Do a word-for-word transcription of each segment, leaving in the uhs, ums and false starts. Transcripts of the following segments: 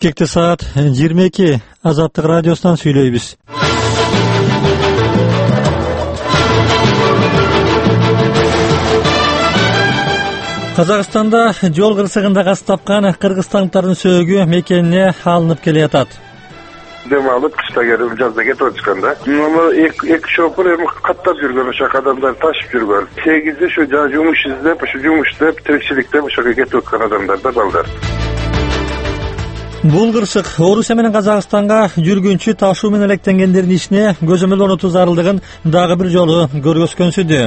Кекте саат жыйырма эки Азаттык радиосунан сүйлөйбүз. Казакстанда жол кырсыгында каз тапкан кыргызстандыктардын сөөгү мекенине алынып келе жатат. Дем алып кышта келип жазда кетип отушканда эки шопур эми каттап жүргөн, ошо адамдар ташып жүргөн. сегизде ушу жумуш издеп, ушу жумуш издеп, тиричиликтеп ошого кетип аткан адамдар да балдар. Бул кырсык Орусия менен Казакстанга жүргүнчү ташуу менен электенгендердин ишине көзөмөл орнотуу зарылдыгын дагы бир жолу көргөзгөнсүдү.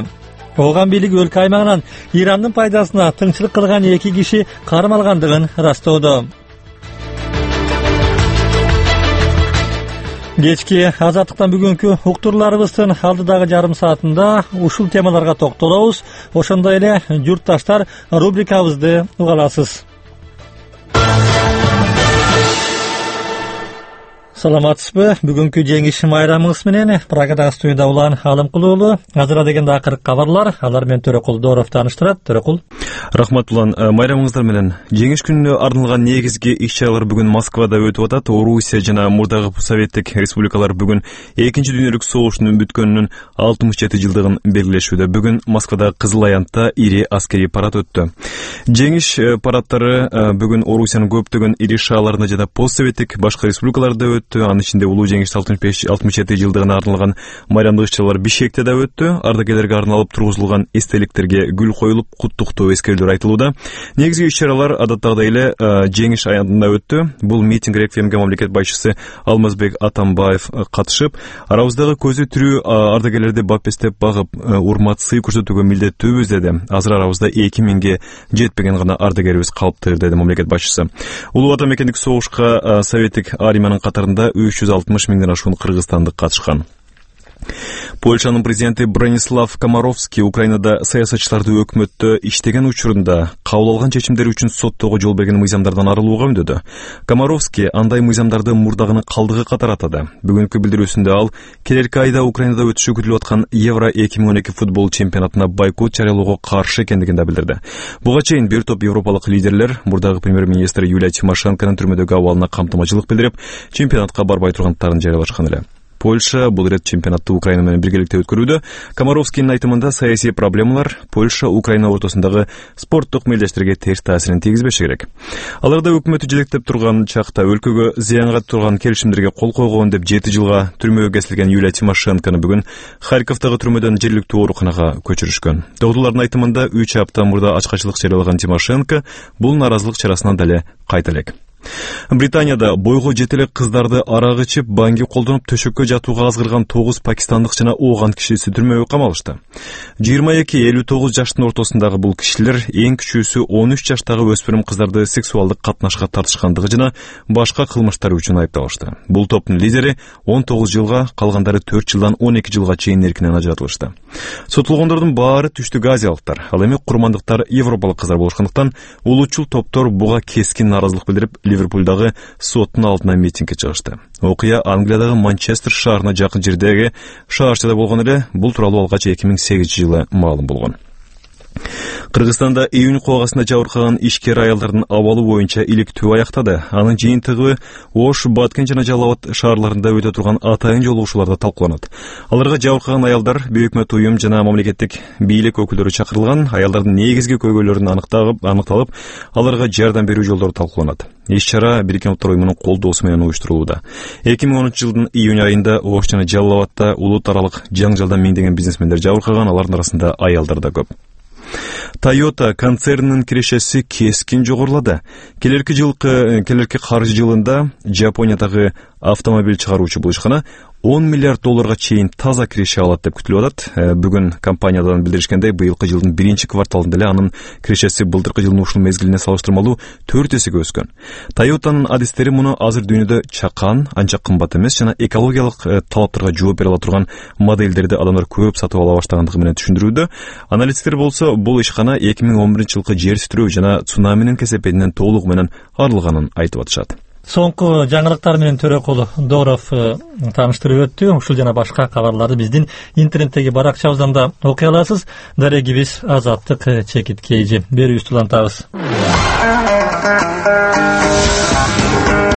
Ооган бийлиги өлкө аймагынан Ирандын пайдасына тыңчылык кылган эки киши кармалгандыгын ырастоодо. Кечки Азаттыктан бүгүнкү уктурууларыбыздын алдыдагы жарым саатында ушул темаларга токтолобуз. Ошондой эле журтташтар рубрикабызды уга аласыз. Саламатсызбы? Бүгүнкү жеңиш майрамыңыз менен Прагадагы студияда улан Алымкул уулу. Азыра дегенде акыркы кабарлар, алар менен Төрөкул Дооров тааныштырат. Төрөкул. Рахмат улан. Майрамыңыздар менен. Жеңиш күнүнө арналган негизги иш-чаралар бүгүн Москвада өтүп атат. Орусия жана мурдагы Советтик республикалар бүгүн экинчи дүйнөлүк согуштун бүткөнүнүн алтымыш жети жылдыгын белгилешүүдө. Бүгүн Москвада Кызыл Аянтта ири аскерий парад өттү. Жеңиш парадтары бүгүн Орусиянын көптөгөн ири шаарларында жана постсоветтик башка республикаларда өттү. Анын ичинде улуу жеңиш алтымыш жети жылдыгына арналган майрамдык иш-чаралар Бишкекте да өттү. Ардагерлерге арналып тургузулган эстеликтерге гүл коюлуп, куттуктоо эскерүүлөр айтылууда. Негизги иш-чаралар адаттагыдай эле Жеңиш аянтында өттү. Бул митинг реквиемге мамлекет башчысы Алмазбек Атамбаев катышып, арабыздагы көзү тирүү ардагерлерди бапестеп багып, урмат сый көрсөтүүгө милдеттүүбүз деди. Азыр арабызда эки миңге жетпеген гана ардагерибиз калыптыр деди мамлекет башчысы. Улуу ата мекендик согушка Советтик армиянын катарында үч жүз алтымыш миңден ашуун кыргызстандык катышкан. Польшанын президенти Бронислав Комаровский Украинада саясатчыларды өкмөттө иштеген учурунда кабыл алган чечимдери үчүн соттоого жол берген мыйзамдардан арылууга үндөдү. Комаровский андай мыйзамдарды мурдагынын калдыгы катары атады. Бүгүнкү билдирүүсүндө ал келерки айда Украинада өтүшү күтүлүп аткан Евро эки миң он эки футбол чемпионатына бойкот жарыялоого каршы экендигин да билдирди. Буга чейин бир топ европалык лидерлер мурдагы премьер-министр Юлия Тимошенконун түрмөдөгү абалына камтымачылык билдирип, чемпионатка барбай тургандыктарын жарыялашкан эле. Польша бул ирет чемпионатты Украина менен биргеликте өткөрүүдө. Комаровскийдин айтымында саясий проблемалар Польша Украина ортосундагы спорттук мелдештерге терс таасирин тийгизбеши керек. Аларда өкмөтү жетектеп турган чакта өлкөгө зыянга турган келишимдерге кол койгон деп жети жылга түрмөгө кесилген Юлия Тимошенкону бүгүн Харьковдагы түрмөдөн жергиликтүү ооруканага көчүрүшкөн. Доктурлардын айтымында үч апта мурда ачкачылык жарыялаган Тимошенко бул наразылык чарасынан дале кайта элек. Британияда бойго жете элек кыздарды арак ичип, банги колдонуп төшөккө жатууга азгырган тогуз пакистандык жана ооган кишиси түрмөгө камалышты. жыйырма эки элүү тогуз жаштын ортосундагы бул кишилер эң кичүүсү он үч жаштагы өспүрүм кыздарды сексуалдык катнашка тартышкандыгы жана башка кылмыштары үчүн айыпталышты. Бул топтун лидери он тогуз жылга, калгандары төрт жылдан он эки жылга чейин эркинен ажыратылышты. Сотулгондордун баары түштүк азиялыктар, ал эми курмандыктар европалык кыздар болушкандыктан улуучул топтор буга кескин наразылык билдирип Ливерпулдагы соттун алдына митингге чыгышты. Окуя Англиядагы Манчестер шаарына жакын жердеги шаарчада болгон эле. Бул тууралуу алгач эки миң сегизинчи жылы маалым болгон. Кыргызстанда июнь когасында жабыркаган ишкер аялдардын абалы боюнча иликтөө аяктады. Анын жыйынтыгы Ош, Баткен жана Жалал Абад шаарларында өтө турган атайын жолугушууларда талкууланат. Аларга жабыркаган аялдар, бейөкмөт уюм жана мамлекеттик бийлик өкүлдөрү чакырылган. Аялдардын негизги көйгөйлөрүн аныкталып, аныкталып, аларга жардам берүү жолдору талкууланат. Иш-чара Бириккен Улуттар уюмунун колдоосу менен уюштурулууда. эки миң онунчу жылдын июнь айында Ош жана Жалал Абадта улут аралык жаңжалдан миңдеген бизнесмендер жабыркаган, алардын арасында аялдар да көп. Toyota концернинин кирешеси кескин жогорулады. Келерки жылкы келерки каржы жылында Жапониядагы автомобиль чыгаруучу бул ишкана он миллиард долларга чейин таза киреше алат деп күтүлүп атат. Бүгүн компаниядан билдиришкендей, быйылкы жылдын биринчи кварталында эле анын кирешеси былтыркы жылдын ушул мезгилине салыштырмалуу төрт эсеге өскөн. Toyota'нын адистери муну азыр дүйнөдө чакан, анча кымбат эмес жана экологиялык талаптарга жооп бере ала турган модельдерди адамдар көп сатып ала баштагандыгы менен түшүндүрүүдө. Аналитиктер болсо бул ишкана эки миң он биринчи жылкы жер титирөө жана цунаминин кесепетинен толугу менен арылганын айтып атышат. Соңку жаңылыктар менен Төрөкул Дооров тааныштырып өттү. Ушул жана башка кабарларды биздин интернеттеги баракчабыздан да окуй аласыз. Дарегибиз Азаттык чекит кейжи. Берүүбүздү улантабыз.